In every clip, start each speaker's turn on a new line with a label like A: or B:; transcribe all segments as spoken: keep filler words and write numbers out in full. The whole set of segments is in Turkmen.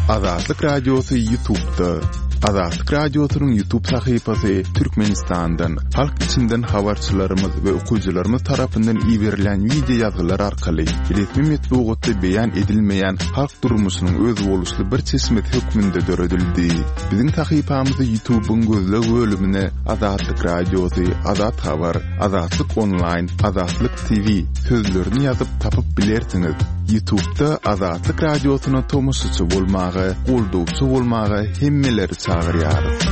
A: Azatlyk Radiosy YouTube'da. Azatlyk Radiosynyň YouTube sahypasy Türkmenistandan, halk içinden habarçylarymyz we okyjylarymyz tarapyndan iberilen wideo ýazgylar arkaly resmi metbugatda beýan edilmeýän halk durmuşynyň özboluşly bir çeşmesi hökmünde döredildi. Biziň sahypamyzy YouTube'yň gözleg bölümine Azatlyk Radiosy, Azat Habar, Azatlyk Online, Azatlyk T V sözlerini ýazyp tapyp bilersiňiz. YouTube'da Azatlyk Radiosyna tomaşaçy bolmaga, goldawçy bolmaga hemmeleri çagyrýarys.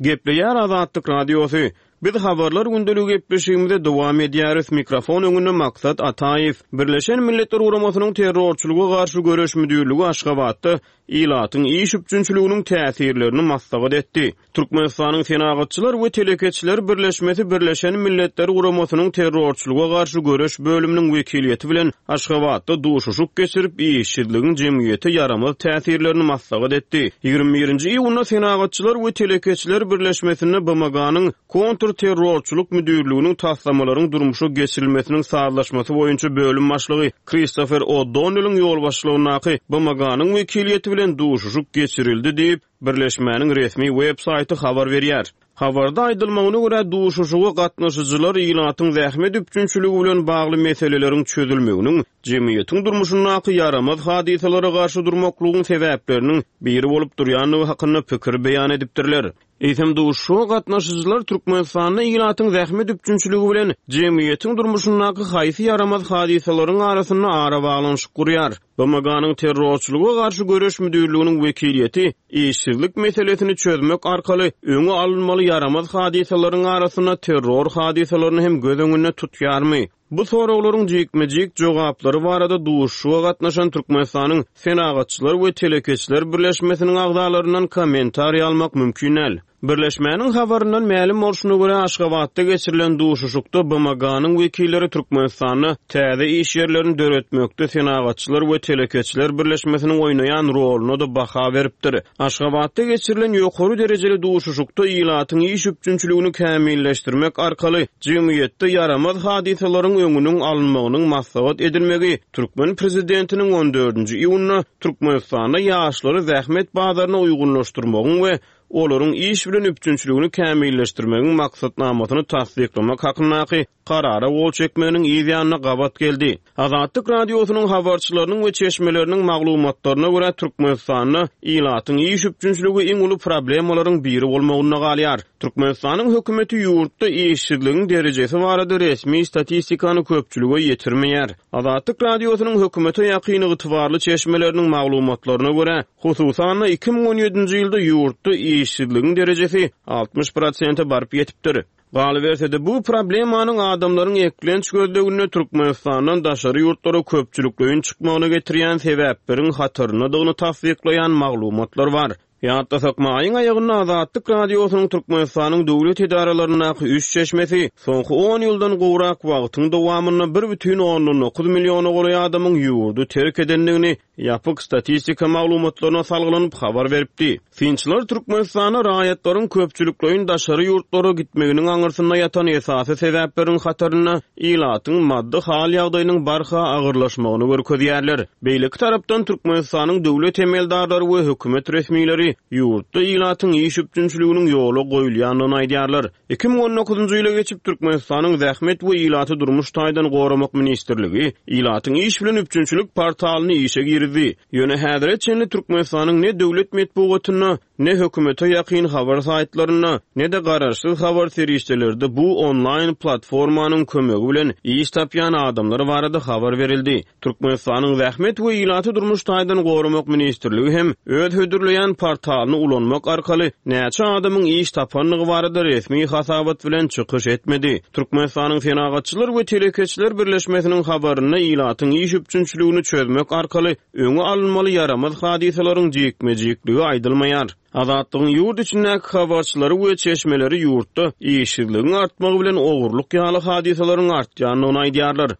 B: Gepleýär Azatlyk Radiosy. Biz habarlar gündeligi gepleşigimize dowam edýäris. Mikrofon öňünde Maksat Ataýew. Birleşen Milletler Guramasynyň terrorçylyga garşy göreş müdirligi Aşgabatda ilatyň iş üpjünçiliginiň täsirlerini maslahat etdi. Türkmenistanyň Senagatçylar we Telekeçiler Birleşmesi Birleşen Milletler Guramasynyň terrorçylyga garşy göreş bölüminiň wekiliýeti bilen Aşgabatda duşuşyk geçirip, işsizligiň jemgyýete ýaramaz täsirlerini maslahat etdi. Ýigrimi birinji iýunda Senagatçylar we Telekeçiler Birleşmesinde B M G-nyň kontrterrorçylyk müdirliginiň taslamalaryň durmuşa geçirilmesiniň sazlaşmasy boýunça bölüm başlygy Christopher O'Donnell'in ýolbaşçylygyndaky B M G-nyň wekiliýeti bilen duşuşyk geçirildi diýip, Birleşmäniň resmi web saýty habar berýär. Habarda aýdylmagyna görä duşuşyga gatnaşyjylar ilatyň zähmet üpjünçiligi bilen bagly meseleleriň çözülmeginiň, jemgyýetiň durmuşyndaky ýaramaz hadysalara garşy durmaklygyň sebäpleriniň biri bolup durýandygy hakynda pikir beýan edipdirler. Eýsem duşuşyga gatnaşyjylar Türkmenistanda ilatyň zähmet üpjünçiligi bilen jemgyýetiň durmuşyndaky haýsy ýaramaz hadysalaryň arasynda arabaglanyşyk gurýar. B M G-nyň terrorçylyga garşy göreş müdirliginiň wekiliýeti işsizlik meselesini çözmek arkaly öňe alynmaly ýaramaz hadysalaryň arasynda terror hadysalaryny hem göz öňünde tutýarmy? Bu soraglaryň jikme-jik jogaplary barada duşuşyga gatnaşan Türkmenistanyň Senagatçylar we Telekeçiler Birleşmesiniň agzalaryndan kommentariý almak mümkin däl. Birleşmäniň habaryndan mälim bolşuna görä Aşgabatda geçirilen duşuşykda B M G-nyň wekilleri Türkmenistanda täze iş ýerlerini döretmekde Senagatçylar we Telekeçiler Birleşmesiniň oýnaýan roluna da baha beripdir. Aşgabatda geçirilen ýokary derejeli duşuşykda ilatyň iş üpjünçiligini kämilleşdirmek arkaly jemgyýetde ýaramaz hadysalaryň öňüniň alynmagynyň maslahat edilmegi Türkmen prezidentiniň on dördünji iýunda Türkmenistanda ýaşlary zähmet bazaryna uýgunlaşdyrmagyň we olaryň iş bilen üpjünçiligini kämilleşdirmegiň maksatnamasyny tassyklamak hakyndaky karara gol çekmeginiň yz ýanyna gabat geldi. Azatlyk Radiosynyň habarçylarynyň we çeşmeleriniň maglumatlaryna görä Türkmenistanda ilatyň iş üpjünçiligi iň uly problemalaryň biri bolmagynda galýar. Türkmenistanyň hökümeti ýurtda işsizligiň derejesi barada resmi statistikany köpçülige ýetirmeýär. Azatlyk Radiosynyň hökümete ýakyn ygtybarly çeşmeleriniň maglumatlaryna görä, hususan-da iki müň on ýedinji ýylda ýurtda işsizligiň derejesi altmyş prosente baryp ýetipdir. Galyberse-de bu problemanyň adamlaryň eklenç gözleginde Türkmenistandan daşary ýurtlara köpçülikleýin çykmagyna getirýän sebäpleriň hataryndadygyny tassyklaýan maglumatlar bar. Ýatlasak, maýyň aýagynda Azatlyk Radiosynyň Türkmenistanyň döwlet edaralaryndaky üç çeşmesi soňky on ýyldan gowrak wagtyň dowamynda bir bütin ondan dokuz milliona golaý adamyň ýurdy terk edendigini ýapyk statistika maglumatlaryna salgylanyp habar beripdi. Synçylar Türkmenistanda raýatlaryň köpçülikleýin daşary ýurtlara gitmeginiň aňyrsynda ýatan esasy sebäpleriň hatarynda ilatyň maddy hal ýagdaýynyň barha agyrlaşmagyny görkezýärler. Beýleki tarapdan Türkmenistanyň döwlet emeldarlary we hökümet resmileri ýurtda ilatyň iş üpjünçiliginiň ýola goýulýandygyny aýdýarlar. Iki müň on dokuzynjy ýyla geçip Türkmenistanyň Zähmet we ilaty durmuş taýdan goramak ministrligi ilatyň iş bilen üpjünçilik portalyny işe girdi. Ýöne häzire çenli Türkmenistanyň ne döwlet metbugatynda, ne hökümete ýakyn habar saýtlarynda, ne de garaşsyz habar serişdelerde bu onlaýn platformanyň kömegi bilen iş tapýan adamlar barada habar berildi. Türkmenistanyň Zähmet we ilaty durmuş taýdan goramak ministrligi hem öz hödürleýän portalyny ulanmak arkaly näçe adamyň iş tapandygy barada resmi hasabat bilen çykyş etmedi. Türkmenistanyň Senagatçylar we Telekeçiler Birleşmesiniň habarynda ilatyň iş üpjünçiligini çözmek arkaly öňe alynmaly ýaramaz hadysalaryň jikme-jikligi aýdylmaýar. Azatlygyň ýurt içindäki habarçylary we çeşmeleri ýurtda işsizligiň artmagy bilen ogurlyk ýaly hadysalaryň artýandygyny aýdýarlar.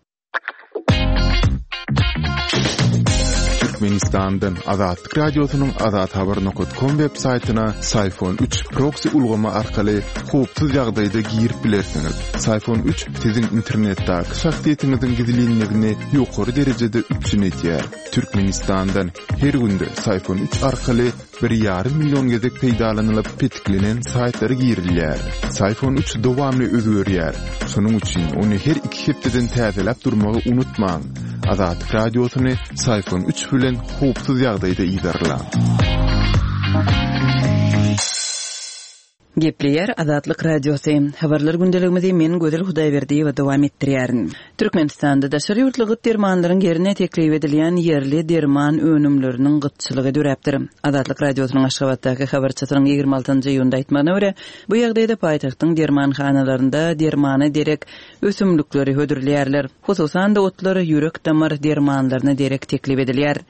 A: Türkmenistandan Azatlyk Radiosynyň azathabar nokat kom web saýtyna Syfon üç proksi ulgamy arkaly howpsuz ýagdaýda girip bilersiňiz. Syfon üç siziň internetdäki şahsyýetiňiziň gizlinligini ýokary derejede üpjün edýär. Türkmenistandan her günde Syfon üç arkaly bir ýarym million gezek peýdalanylyp petiklenen saýtlara girilýär. Syfon üç dowamly özgerýär. Şonuň üçin ony her iki hepdeden täzeläp durmagy unutmaň. Azatlyk Radiosyny Syfon üç bilen howpsuz ýagdaýda yzarlaň.
C: Gepleýär Azatlyk Radiosy. Habarlar gündeligimizi men Gözel Hudaýberdiýewa dowam etdirýärin. Türkmenistanda daşary ýurtly gyt dermanlaryň ýerine teklip edilýän ýerli derman önümleriniň gytçylygy döräpdir. Azatlyk Radiosynyň Aşgabatdaky habarçysynyň ýigrimi altynjy iýunda aýtmagyna görä, bu ýagdaýda paýtagtyň dermanhanalarynda dermana derek ösümlikleri hödürleýärler. Hususan-da otlar ýürek damar dermanlaryna derek teklip edilýär.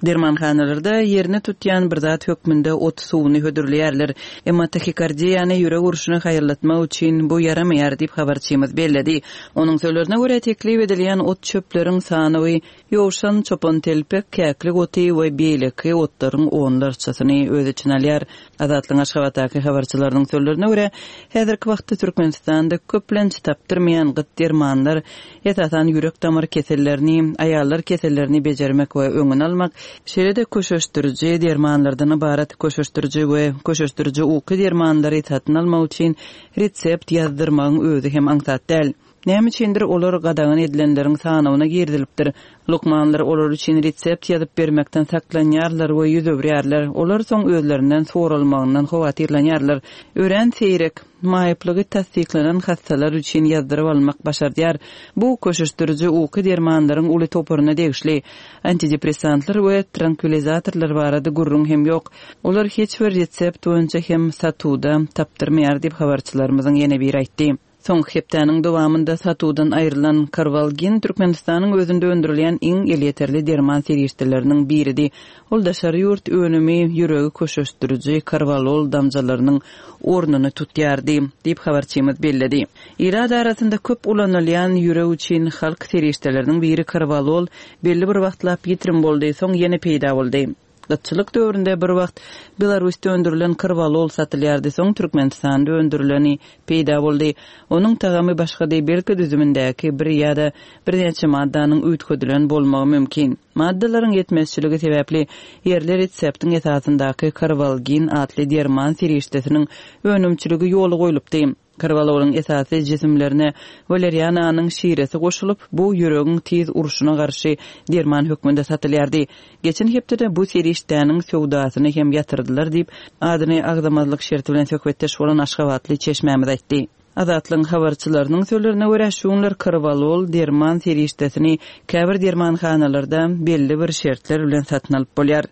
C: Dermanhanalarda ýerine tutýan bir zat hökmünde ot suwuny hödürleýärler. Emma tahikardiýany ýürek urşuny haýallatmak üçin bu ýaramaýar diýip habarçymyz belledi. Onuň sözlerine görä teklip edilýän ot çöpleriň sanawy ýowşan, çopan telpek, käklik oty we beýleki otlaryň onlarçasyny öz içine alýar. Azatlygyň Aşgabatdaky habarçylarynyň sözlerine görä, häzirki wagtda Türkmenistanda köplenç tapdyrmaýan gyt dermanlar, esasan ýürek damar kesellerini, aýallar kesellerini bejermek we öňüni almak, şeýle-de köşeşdiriji dermanlardan ybarat köşeşdiriji we köşeşdiriji uky dermanlary satyn almak üçin resept ýazdyrmagyň özi hem aňsat däl. Näme üçindir olar gadagan edilenleriň sanawyna girizilipdir. Lukmanlar olar üçin resept ýazyp bermekden saklanýarlar we ýüz öwürýärler. Olar soň özlerinden soralmagyndan howatyrlanýarlar. Örän seýrek maýyplygy tassyklanan hassalar üçin ýazdyryp almak başardýar. Bu köşeşdiriji uky dermanlaryň uly toparyna degişli. Antidepressantlar we trankvilizatorlar barada gürrüň hem ýok. Olar hiç bir resept boýunça hem satuwda tapdyrmaýar diýip habarçylarymyzyň ýene biri aýtdy. Soňky hepdäniň dowamynda satuwdan aýrylan Karwalgin Türkmenistanyň özünde öndürilýän iň elýeterli derman serişdeleriniň biridi. Ol daşary ýurt önümi ýüregi köşeşdiriji karvalol damjalarynyň ornuny tutýardy diýip habarçymyz belledi. Ilat arasynda köp ulanylýan ýürek üçin halk serişdeleriniň biri karvalol belli bir wagtlap ýitirim boldy, soň ýene peýda boldy. Gytçylyk döwründe bir wagt Belarusda öndürilen karvalol satylýardy, soň Türkmenistanda öndürileni peýda boldy. Onuň tagamy başga belki düzümindäki bir ýa-da birnäçe maddanyň üýtgedilen bolmagy mümkin. Maddalaryň ýetmezçiligi sebäpli ýerli reseptiň esasyndaky karvalgin atly derman serişdesiniň önümçiligi ýola goýlupdy. Karvalolyň esasy jisimlerine waleriananyň şiresi goşulyp, bu ýüregiň tiz urşuna garşy derman hökmünde satylýardy. Geçen hepdede bu serişdäniň söwdasyny hem ýatyrdylar diýip, adyny agzamazlyk şerti bilen söhbetdeş bolan Aşgabatly çeşmämiz aýtdy. Azatlygyň habarçylarynyň sözlerine görä, şu günler karvalol derman serişdesini käbir dermanhanalarda belli bir şertler bilen satyn alyp bolýar.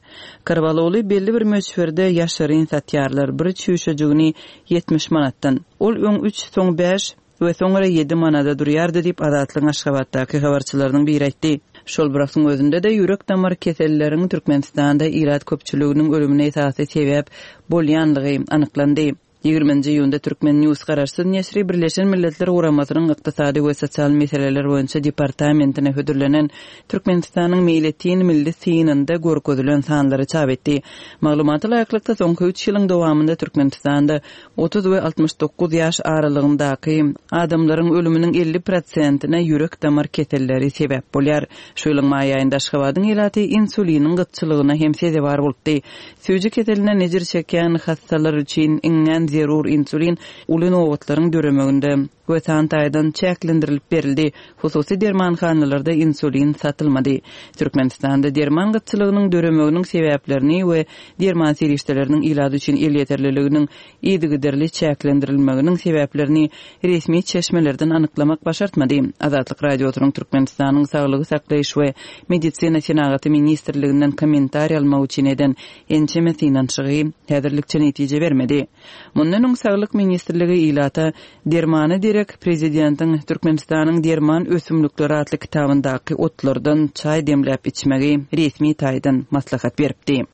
C: Karvaloly belli bir möçberde ýaşaryn satýarlar, bir çüýşejigini ýetmiş manatdan. Ol öň üç, soň bäş we soňra ýedi manada durýardy diýip Azatlygyň Aşgabatdaky habarçylarynyň biri aýtdy. Şol bir wagtyň özünde de ýürek damar keselleriň Türkmenistanda ilat köpçüliginiň ölümine esasy sebäp bolýanlygy anyklandy. Ýigriminji iýunda Türkmen News garaşsyz neşiri Birleşen Milletler Guramasynyň Ykdysady we Sosial Meseleler boýunça departamentine hödürlenen Türkmenistanyň meýletin milli synynda görkezilen sanlary çap etdi. Maglumata laýyklykda soňky üç ýylyň dowamynda Türkmenistanda otuz we altmyş dokuz ýaş aralygyndaky adamlaryň ölüminiň elli prosentine ýürek damar keselleri sebäp bolýar. Şu ýylyň maý aýynda Aşgabadyň ilaty insuliniň gytçylygyna hem sezewar bolupdy. Süýji keselinden ejir çekýän hassalar üçin iňňän zerur insulin uly nobatlaryň döremeginde we san taýdan çäklendirilip berildi. Hususy dermanhanalarda insulin satylmady. Türkmenistanda derman gytçylygynyň döremeginiň sebäplerini we derman serişdeleriniň ilat üçin elýeterliliginiň yzygiderli çäklendirilmeginiň sebäplerini resmi çeşmelerden anyklamak başartmady. Azatlyk Radiosynyň Türkmenistanyň Saglygy saklaýyş we Medisina Senagaty Ministrliginden kommentariý almak üçin eden ençeme synanyşygy häzirlikçe netije bermedi. Mundan öň Saglyk Ministrligi ilata dermana derek Prezidentiň Türkmenistanyň derman ösümlikleri atly kitabyndaky otlardan çaý demläp içmegi resmi taýdan maslahat beripdi.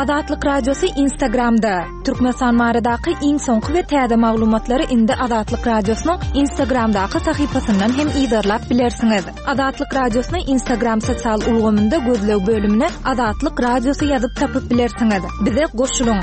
D: Azatlyk Radiosy Instagramda. Türkmenistan baradaky iň soňky we täze maglumatlary indi Azatlyk Radiosynyň Instagramdaky sahypasyndan hem yzarlap bilersiňiz. Azatlyk Radiosyny Instagram sosial ulgamynda gözleg bölümine Azatlyk Radiosy ýazyp tapyp bilersiňiz. Bize goşulyň.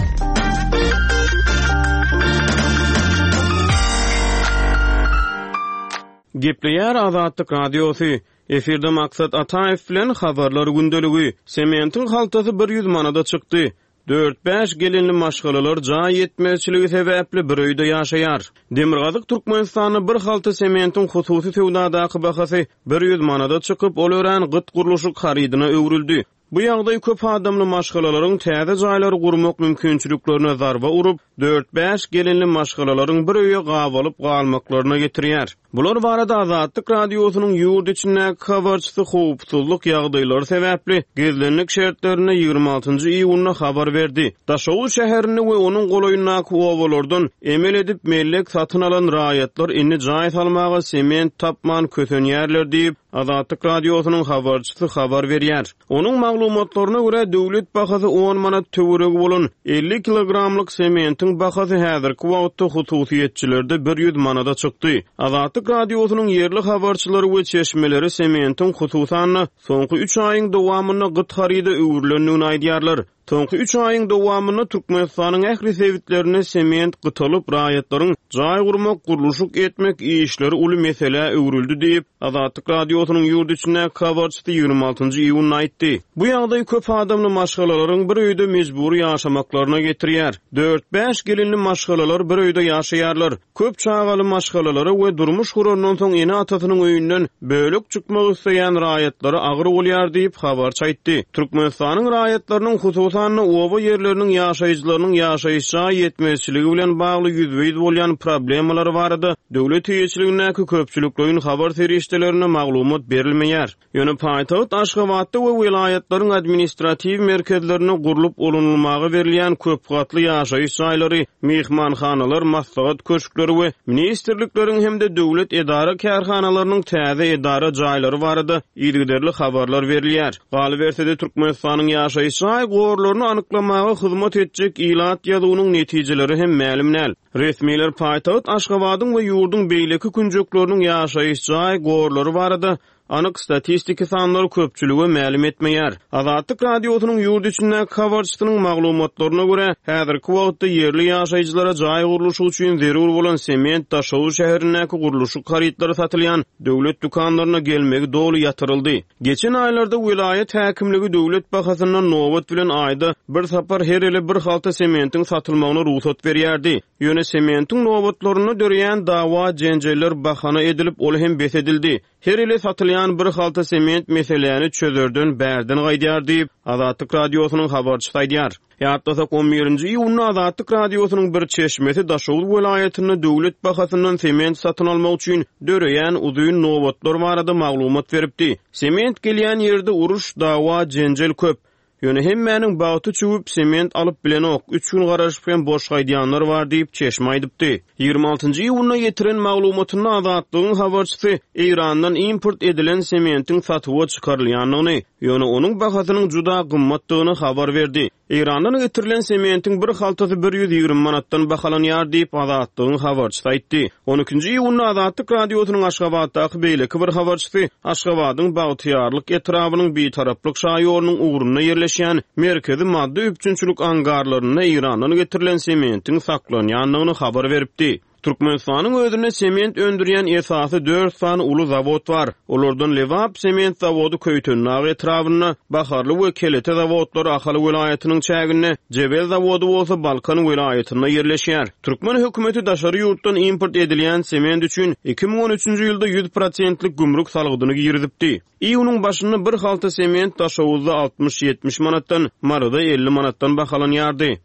B: Gepleýär Azatlyk Radiosy. Efirde Maksat Ataýew bilen habarlar gündeligi. Sementiň haltasy bir ýüz manada çykdy. Dört-bäş gelinli maşgalalar jaý ýetmezçiligi sebäpli bir öýde ýaşaýar. Demirgazyk Türkmenistanda bir halta sementiň hususy söwdadaky bahasy bir ýüz manada çykyp, ol örän gyt gurluşyk harydyna öwrüldi. Bu ýagdaý köp adamly maşgalalaryň täze jaýlary gurmak mümkinçiliklerine zarba urup, dört-bäş gelinli maşgalalaryň bir öýe gabalyp galmaklaryna getirýär. Bular barada Azatlyk Radiosynyň ýurt içindäki habarçysy howpsuzlyk ýagdaýlary sebäpli gizlenlik şertlerinde ýigrimi altynjy iýunda habar berdi. Daşoguz şäherinde we onuň golaýyndaky obalardan emel edip mellek satyn alan raýatlar indi jaý salmaga sement tapman kösenýärler diýip, Azatlyk Radiosynyň habarçysy habar berýär. Onuň maglumatlaryna görä döwlet bahasy on manat töweregi bolan elli kilogramlyk sementiň bahasy häzirki wagtda hususyýetçilerde bir ýüz manada çykdy. Azatlyk Radiosynyň ýerli habarçylary we çeşmeleri sementiň hususan soňky üç aýyň dowamynda gyt haryda öwrülendigini aýdýarlar. Soňky üç aýyň dowamynda Türkmenistanyň ähli sebitlerinde sement gytalyp, raýatlaryň jaý gurmak, gurluşyk etmek işleri uly meselä öwrüldi diýip, Azatlyk Radiosynyň ýurt içindäki habarçysy ýigrimi altynjy iýunda aýtdy. Bu ýagdaý köp adamly maşgalalaryň bir öýde mejbury ýaşamaklaryna getirýär. Dört-bäş gelinli maşgalalar bir öýde ýaşaýarlar. Köp çagaly maşgalalara we durmuş gurandan soň ene-atasynyň öýünden bölek çykmak isleýän raýatlara agyr bolýar diýip habarçy aýtdy. Türkmenistanyň raýatlarynyň hususan oba ýerleriniň ýaşaýjylarynyň ýaşaýyş jaý ýetmezçiligi bilen bagly ýüzbe-ýüz bolýan problemalary barada döwlet eýeçiligindäki köpçülikleýin habar serişdelerine maglumat berilmeýär. Ýöne paýtagt Aşgabatda we welaýatlaryň administratiw merkezlerine gurlup ulanylmaga berilýän köp gatly ýaşaýyş jaýlary, mehmanhanalar, maslahat köşkleri we ministrlikleriň hem-de döwlet edara kärhanalarynyň täze edara jaýlary barada yzygiderli habarlar berilýär. Galyberse-de Türkmenistanyň ýaşaýyş jaý gorlaryny anyklamaga hyzmat etjek ilat ýazuwynyň netijeleri hem mälim däl. Resmiler paýtagt Aşgabadyň we ýurduň beýleki künjekleriniň ýaşaýyş jaý gorlary barada anyk statistiki sanlary köpçülige mälim etmeýär. Azatlyk Radiosynyň ýurt içindäki habarçysynyň maglumatlaryna görä, häzirki wagtda ýerli ýaşaýjylara jaý gurluşygy üçin zerur bolan sement Daşoguz şäherindäki gurluşyk harytlary satylýan döwlet dükanlaryna gelmegi doly ýatyryldy. Geçen aýlarda welaýat häkimligi döwlet bahasyndan nobat bilen aýda bir sapar her ele bir halta sementiň satylmagyna rugsat berýärdi. Ýöne sementiň nobatlarynda döreýän dawa jenjeller bahana edilip, ol hem bes edildi. Her ele satylýan bir halta sement meseläni çözerden bärden gaýdýar diýip, Azatlyk Radiosynyň habarçysy aýdýar. Ýatlasak on birinji iýunda Azatlyk Radiosynyň bir çeşmesi Daşoguz welaýatynda döwlet bahasyndan sement satyn almak üçin döreýän uzyn nobatlar barada maglumat beripdi. Sement gelýän ýerde uruş, dawa, jenjel köp. Ýöne hemmäniň bagty çüwüp sement alyp bilenok, üç gün garaşyp hem boş gaýdýanlar bar diýip çeşme aýdypdy. Ýigrimi altynjy iýunda ýetiren maglumatynda Azatlygyň habarçysy Eýrandan import edilen sementiň satuwa çykarylýandygyny, ýöne onuň bahasynyň juda gymmatdygyny habar berdi. Eýrandan getirilen sementiň bir haltasy bir ýüz ýigrimi manatdan bahalanýar diýip Azatlygyň habarçysy aýtdy. On ikinji iýunda Azatlyk Radiosynyň Aşgabatdaky beýleki bir habarçysy Aşgabadyň Bagtyýarlyk etrabynyň Bitaraplyk şaýolunyň ugrunda ýerleşýän merkezi maddy üpjünçilik angarlarynda Eýrandan getirilen sementiň saklanýandygyny habar beripdi. Türkmenistanyň özünde sement öndürýän esasy dört sany uly zawod bar. Olardan Lebap sement zawody Köýtendag etrabynda, Baharly we Kelete zawodlary Ahal welaýatynyň çäginde, Jebel zawody bolsa Balkan welaýatynda ýerleşýär. Türkmen hökümeti daşary ýurtdan import edilýän sement üçin iki müň on üçünji ýylda ýüz prosentlik gümrük salgydyny girizipdi. Iýunyň başynda bir halta sement Daşoguzda altmyş ýetmiş manatdan, Maryda elli manatdan bahalanýardy.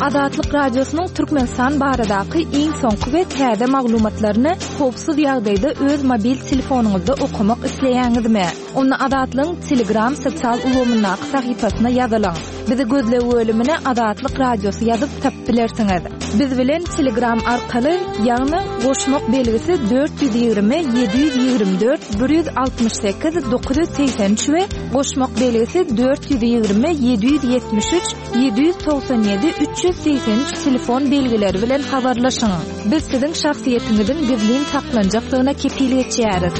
D: Azatlyk Radiosynyň Türkmenistan baradaky iň soňky we täze maglumatlaryny howpsuz ýagdaýda öz mobil telefonyňyzda okamak isleýäňizmi? Onda Azatlygyň Telegram sosial ulgamyndaky sahypasyna ýazylyň. Bizi gözleg bölümine Azatlyk Radiosy ýazyp tapyp bilersiňiz. Biz bilen Telegram arkaly, ýagny goşmak belgisi dört ýüz ýigrimi ýedi ýüz ýigrimi dört bir ýüz altmyş sekiz dokuz ýüz segsen üç we goşmak belgisi dört ýüz ýigrimi ýedi ýüz ýetmiş üç ýedi ýüz togsan ýedi üç ýüz segsen üç telefon belgileri bilen habarlaşyň. Biz siziň şahsyýetiňiziň gizlin saklanjakdygyna kepil geçýäris.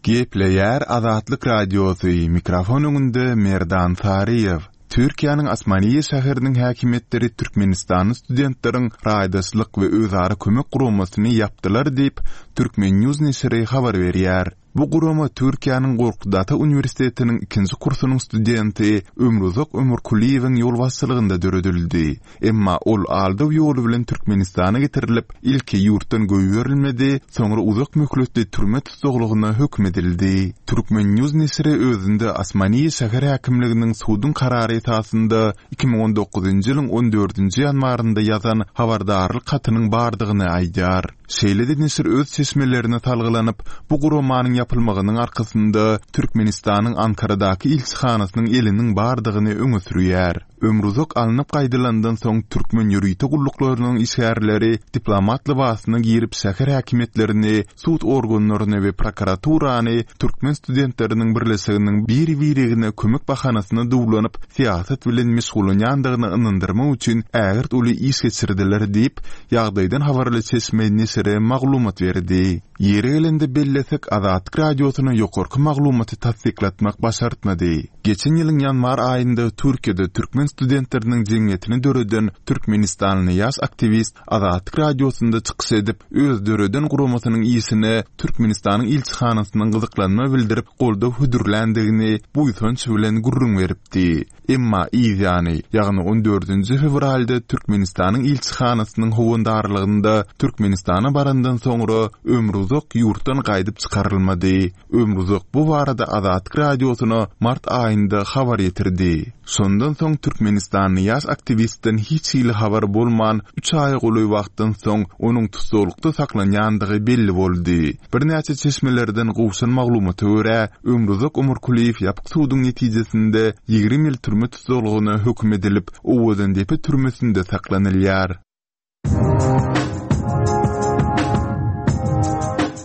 A: Gepleýär Azatlyk Radiosy, mikrofon öňünde Merdan Saryýew. Türkiýäniň Osmaniýe şäheriniň häkimiýetleri Türkmenistanly studentleriň raýdaşlyk we özara kömek guramasyny ýapdylar diýip, Türkmen News neşiri habar berýär. Bu gurama Türkiýäniň Gorkut Ata uniwersitetiniň ikinji kursunyň studenti Ömruzak Ömürkulyýewiň ýolbaşçylygynda döredildi. Emma ol aldaw ýoly bilen Türkmenistana getirilip, ilki ýurtdan goýberilmedi, soňra uzak möhletli türme tussaglygyna höküm edildi. Türkmen News neşiri özünde Osmaniýe şäher häkimliginiň suduň karary esasynda iki müň on dokuzynjy ýylyň on dördünji ýanwarynda ýazan habardarlyk hatynyň bardygyny aýdýar. Şeýle-de neşir öz çeşmelerine salgylanyp, bu guramanyň ýapylmagynyň arkasynda Türkmenistanyň Ankaradaky ilçihanasynyň eliniň bardygyny öňe sürýär. Ömruzak alnyp gaýdylandan soň türkmen ýörite gulluklarynyň işgärleri diplomat lybasyna girip şäher häkimiýetlerini, sud organlaryny we prokuraturany türkmen studentleriniň birleşiginiň bir-birine kömek bahanasyna duwlanyp syýasat bilen meşgullanýandygyny ynandyrmak üçin ägirt uly iş geçirdiler diýip, ýagdaýdan habarly çeşme neşire maglumat berdi. Ýeri gelende bellesek, Azatlyk Radiosyna ýokarky maglumaty tassyklatmak başartmady. Geçen ýylyň ýanwar aýynda Türkiýede türkmen studentleriniň jemgyýetini döreden Türkmenistanly ýaş aktiwist Azatlyk Radiosynda çykyş edip, öz döreden guramasynyň işine Türkmenistanyň ilçihanasynyň gyzyklanma bildirip goldaw hödürländigini buýsanç bilen gürrüň beripdi. Emma yzýany, ýagny on dördünji fewralda Türkmenistanyň ilçihanasynyň howandarlygynda Türkmenistana barandan soňra Ömruzak ýurtdan gaýdyp çykarylmady. Ömruzak bu barada Azatlyk Radiosyna mart aýynda habar ýetirdi. Şondan soň Türkmenistanly ýaş aktiwistden hiç hili habar bolman, üç aýa golaý wagtdan soň onuň tussaglykda saklanýandygy belli boldy. Birnäçe çeşmelerden gowşan maglumata görä, Ömruzak Ömürkulyýew ýapyk suduň netijesinde ýigrimi ýyl türme tussaglygyna höküm edilip, Owadandepe türmesinde saklanylýar.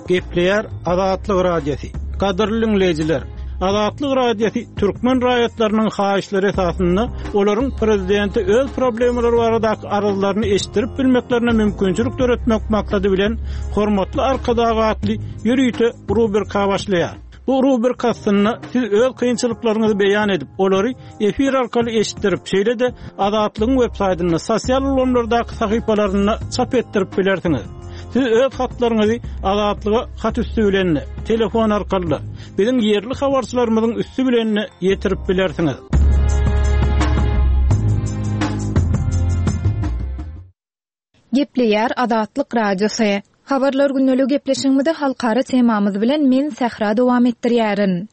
E: Gepleýär Azatlyk Radiosy. Gadyrly dinleýjiler, Azatlyk Radiosy türkmen raýatlarynyň haýyşlary esasynda olaryň prezidenti öz problemalary baradaky arzlaryny eşitdirip bilmeklerine mümkinçilik döretmek maksady bilen hormatly Arkadag atly ýörite rubrika başlaýar. Bu rubrika aslynda siz öz kynçylyklaryňyzy beýan edip, olary efir arkaly eşitdirip, şeýle-de Azatlygyň web saýtynda, sosial ulgamlardaky sahypalarynda çap etdirip bilersiňiz. Siz öz hatlaryňyzy Azatlyga hat üstü bilen, telefon arkaly, biziň ýerli habarçylarymyzyň üstü bilen ýetirip bilersiňiz.
D: Gepleýär Azatlyk Radiosy. Habarlar günlügi gepleşigimizde halkara temamyz bilen men Sähra dowam etdirýärin.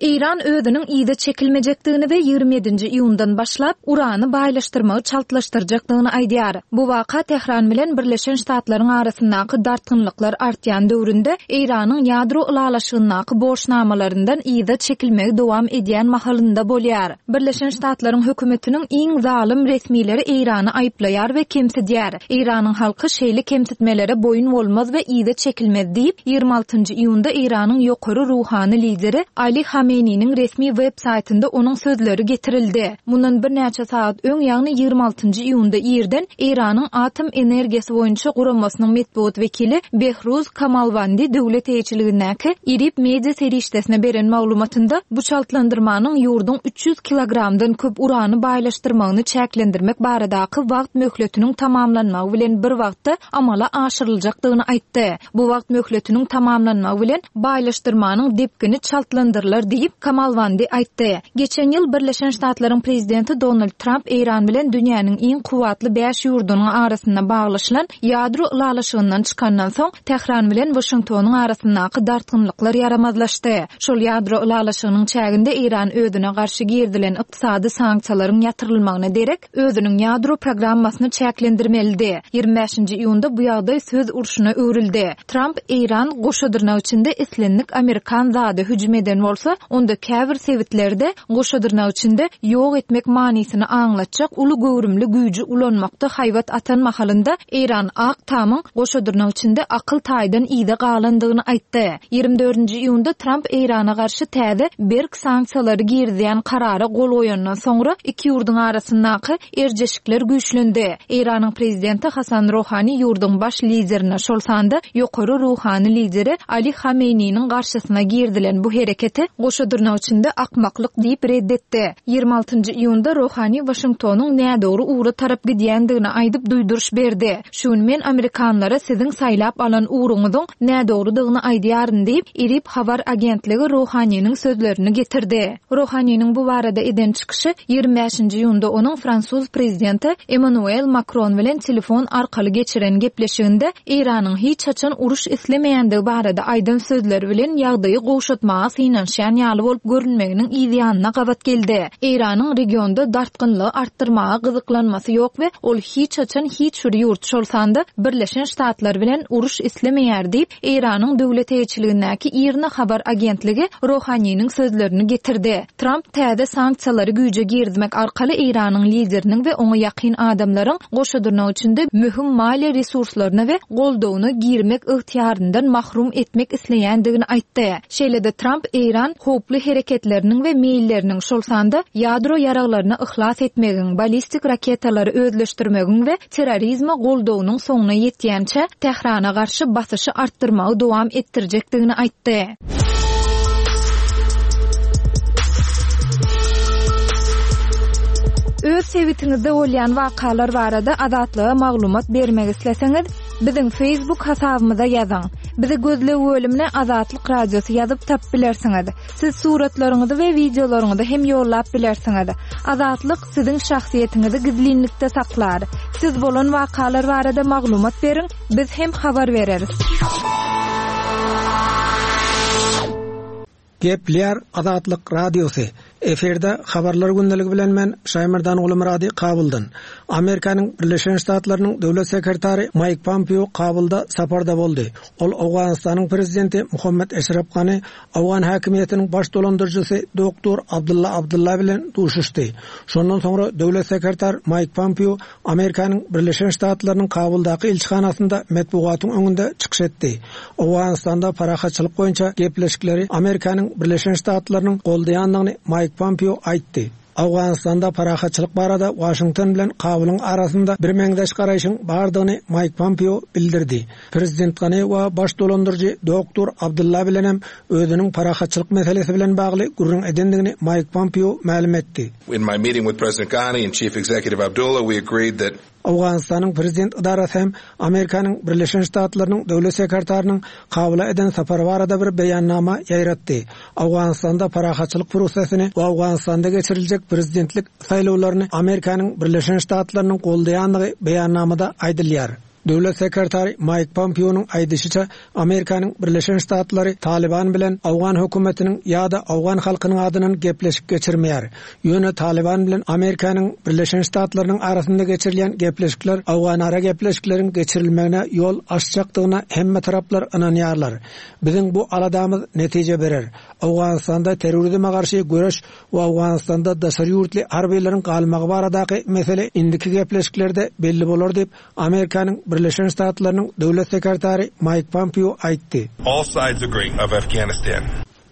D: Eýran özüniň yza çekilmejekdigini we ýigrimi ýedinji iýundan başlap urany baýlaşdyrmagy çaltlaşdyrjakdygyny aýdýar. Bu waka Tehran bilen Birleşen Ştatlaryň arasyndaky dartgynlyklar artýan döwründe Eýranyň ýadro ylalaşygyndaky borçnamalaryndan yza çekilmegi dowam edýän mahalynda bolýar. Birleşen Ştatlaryň hökümetiniň iň zalym resmileri Eýrany aýyplaýar we kemsidýär. Eýranyň halky şeýle kemsitmelere boýun bolmaz we yza çekilmez diýip, ýigrimi altynjy iýunda Eýranyň ýokary ruhany lideri Ali Hameneýiniň resmi web saýtynda onuň sözleri getirildi. Mundan birnäçe saat öň, ýagny ýigrimi altynjy iýunda irden Eýranyň atom energiýasy boýunça guramasynyň metbugat wekili Behruz Kamalwandi döwlet eýeçiligindäki IRIB media serişdesine beren maglumatynda bu çaltlandyrmanyň ýurduň üç ýüz kilogramdan köp urany baýlaşdyrmagyny çäklendirmek baradaky wagt möhletiniň tamamlanmagy bilen bir wagtda amala aşyryljakdygyny aýtdy. Bu wagt möhletiniň tamamlanmagy bilen baýlaşdyrmanyň depgini çaltlandyrylar diýip Kamalwandi aýtdy. Geçen ýyl Birleşen Ştatlaryň prezidenti Donald Trump Eýran bilen dünýäniň iň kuwwatly bäş ýurdunyň arasynda baglaşylan ýadro ylalaşygyndan çykandan soň Tehran bilen Washingtonyň arasyndaky dartgynlyklar ýaramazlaşdy. Şol ýadro ylalaşygynyň çäginde Eýran özüne garşy girdilen ykdysady sanksiýalaryň ýatyrylmagyna derek özüniň ýadro programmasyny çäklendirmelidi. Ýigrimi bäşinji iýunda bu ýagdaý söz urşuna öwrüldi. Trump Eýran goşa dyrnak içinde islendik Amerikan zady hüjüm eden bolsa, Onda käbir sebitlerde goşa dyrnak içinde ýok etmek manysyny aňlatjak uly göwrümli güýji ulanmakda haýbat atan mahalynda Eýran Ak Tamyň goşa dyrnak içinde akyl taýdan yza galandygyny aýtdy. Ýigrimi dördünji iýunda Tramp Eýrana garşy täze berk sanksiýalary girizýän karara gol goýandan soňra iki ýurduň arasyndaky erjeşikler güýçlendi. Eýranyň prezidenti Hasan Rohani ýurduň baş liderine, şol sanda ýokary ruhany lideri Ali Hameýniniň garşysyna girizilen bu hereketi goşa dyrnak içinde akmaklyk diýip red etdi. Ýigrimi altynjy iýunda Rohani Waşingtonyň nädogry ugra tarap gidýändigini aýdyp duýduryş berdi. Şu gün men amerikanlara siziň saýlap alan ugruňyzyň nädogrudygyny aýdýaryn diýip, IRIB habar agentligi Rohaniniň sözlerini getirdi. Rohaniniň bu barada eden çykyşy ýigrimi bäşinji iýunda onuň fransuz prezidenti Emmanuel Makron bilen telefon arkaly geçiren gepleşiginde Eýranyň hiç haçan uruş islemeýändigi barada aýdan sözleri bilen ýagdaýy gowşatmaga synanyşýan ýaly bolup görünmeginiň yzýanyna gabat geldi. Eýranyň regionda dartgynlygy artdyrmaga gyzyklanmasy ýok we ol hiç haçan hiç bir ýurt, şol sanda Birleşen Ştatlar bilen uruş islemeýär diýip, Eýranyň döwlet eýeçiligindäki IRNA habar agentligi Rohaniniň sözlerini getirdi. Tramp täze sanksiýalary güýje girizmek arkaly Eýranyň lideriniň we oňa ýakyn adamlaryň goşa dyrnak içinde möhüm maliýe resurslaryna we goldawyna girmek ygtyýaryndan mahrum etmek isleýändigini aýtdy. Şeýle-de Tramp Eýran howply hereketleriniň we meýilleriniň, şol sanda ýadro ýaraglaryna yhlas etmegiň, ballistik raketalary özleşdirmegiň we terrorizme goldawynyň soňuna ýetýänçä Tährana garşy basyşy artdyrmagy dowam etdirjekdigini aýtdy. Öz sebitiňizde bolýan wakalar barada Azatlyga maglumat bermek isleseňiz, biziň Facebook hasabymyza ýazyň. Bizi gözleg bölümine Azatlyk Radiosy ýazyp tapyp bilersiňiz. Siz suratlaryňyzy we wideolaryňyzy hem ýollap bilersiňiz. Azatlyk siziň şahsyýetiňizi gizlinlikde saklar. Siz bolan wakalar barada maglumat beriň, biz hem habar bereris.
F: Gepleýär Azatlyk Radiosy. Efirde habarlar gündeligi bilen men Şaýmerdan Gulumyrady Kabuldan. Amerikanyň Birleşen Ştatlarynyň döwlet sekretary Maýk Pompeo Kabulda saparda boldy. Ol Owganystanyň prezidenti Muhammed Eşref Gani, Owgan häkimiýetiniň baş dolandyryjysy doktor Abdulla Abdulla bilen duşuşdy. Şondan soňra döwlet sekretar Maýk Pompeo Amerikanyň Birleşen Ştatlarynyň Kabuldaky ilçihanasynda metbugatyň öňünde çykyş etdi. Owganystanda parahatçylyk boýunça gepleşikleri Amerikanyň Birleşen Ştatlarynyň goldaýandygyny Maýk Pompeo aýtdy. Owganystanda parahatçylyk barada Waşington bilen Kabulyň arasynda bir meňzeş garaýşyň bardygyny Maýk Pompeo bildirdi. Prezident Gani we baş dolandyryjy doktor Abdulla bilen hem özüniň parahatçylyk meselesi bilen bagly gürrüň edendigini Maýk Pompeo mälim etdi.
G: In my meeting with President Ghani and Chief Executive Abdullah, we agreed that
F: Owganystanyň prezident idarasy hem Amerikanyň Birleşen Ştatlarynyň döwlet sekretarynyň Kabula eden sapary barada bir beýannama ýaýratdy. Owganystanda parahatçylyk prosesini we Owganystanda geçiriljek prezidentlik saýlawlaryny Amerikanyň Birleşen Ştatlarynyň goldaýandygy beýannamada aýdylýar. Döwlet sekretary Maýk Pompeonyň aýdyşyça, Amerikanyň Birleşen Ştatlary Taliban bilen Owgan hökümetiniň ýa-da Owgan halkynyň adyndan gepleşik geçirmeýär. Ýöne Taliban bilen Amerikanyň Birleşen Ştatlarynyň arasynda geçirilýän gepleşikler Owganara gepleşikleriň geçirilmegine ýol açjakdygyna hemme taraplar ynanýarlar. Biziň bu aladamyz netije berer. Owganystanda terrorizme garşy göreş we Owganystanda daşary ýurtly harbiýlaryň galmagy baradaky mesele indiki gepleşiklerde belli bolar diýip, Amerikanyň Birleşen Ştatlarynyň döwlet sekretary Maýk Pompeo aýtdy.
G: All sides agree of Afghanistan.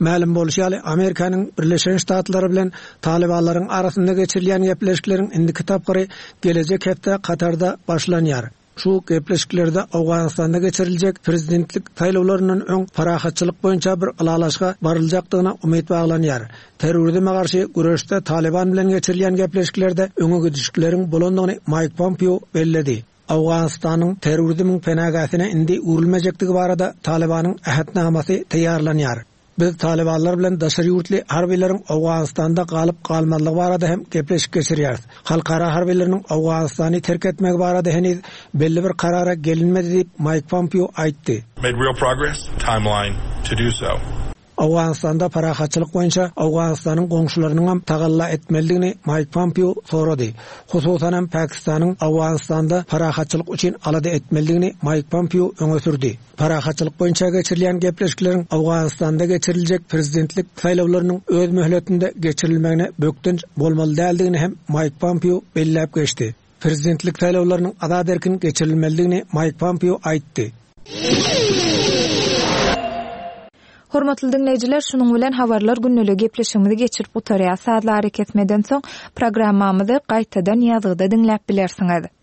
F: Mälim bolşy ýaly, Amerikanyň Birleşen Ştatlary bilen Talibanlaryň arasynda geçirilýän gepleşikleriň indiki tapgyry gelejek hepde Katarda başlanýar. Şu gepleşiklerde Owganystanda geçiriljek prezidentlik saýlawlaryndan öň parahatçylyk boýunça bir ylalaşyga baryljakdygyna umyt baglanýar. Terrorizme garşy göreşde Taliban bilen geçirilýän gepleşiklerde öňe gidişlikleriň bolandygyny Maýk Pompeo belledi. Owganystanyň terrorizmiň penagäsine indi öwrülmejekdigi barada Talibanyň ähtnamasy taýýarlanýar. Biz Talibanlar bilen daşary ýurtly harbiýlaryň Owganystanda galyp galmazlygy barada hem gepleşik geçirýäris. Halkara harbiýlarynyň Owganystany terk etmegi barada heniz belli bir karara gelinmedi diýip Maýk Pompeo aýtdy.
G: Made real progress, timeline to do so.
F: Owganystanda parahatçylyk boýunça Owganystanyň goňşularynyň hem tagalla etmelidigini Maýk Pompeo sorady. Hususan hem Pakistanyň Owganystanda parahatçylyk üçin alada etmelidigini Maýk Pompeo öňe sürdi. Parahatçylyk boýunça geçirilýän gepleşikleriň Owganystanda geçiriljek prezidentlik saýlawlarynyň öz möhletinde geçirilmegine bökdenç bolmaly däldigini hem Maýk Pompeo belläp geçdi. Prezidentlik saýlawlarynyň azat erkin geçirilmelidigini Maýk Pompeo aýtdy.
D: Hormatly dinleýjiler, şunuň bilen habarlar günlügi gepleşigimizi geçirip gutarýar. Sazlary kesmeden soň programmamyzy gaýtadan ýazgyda diňläp bilersiňiz.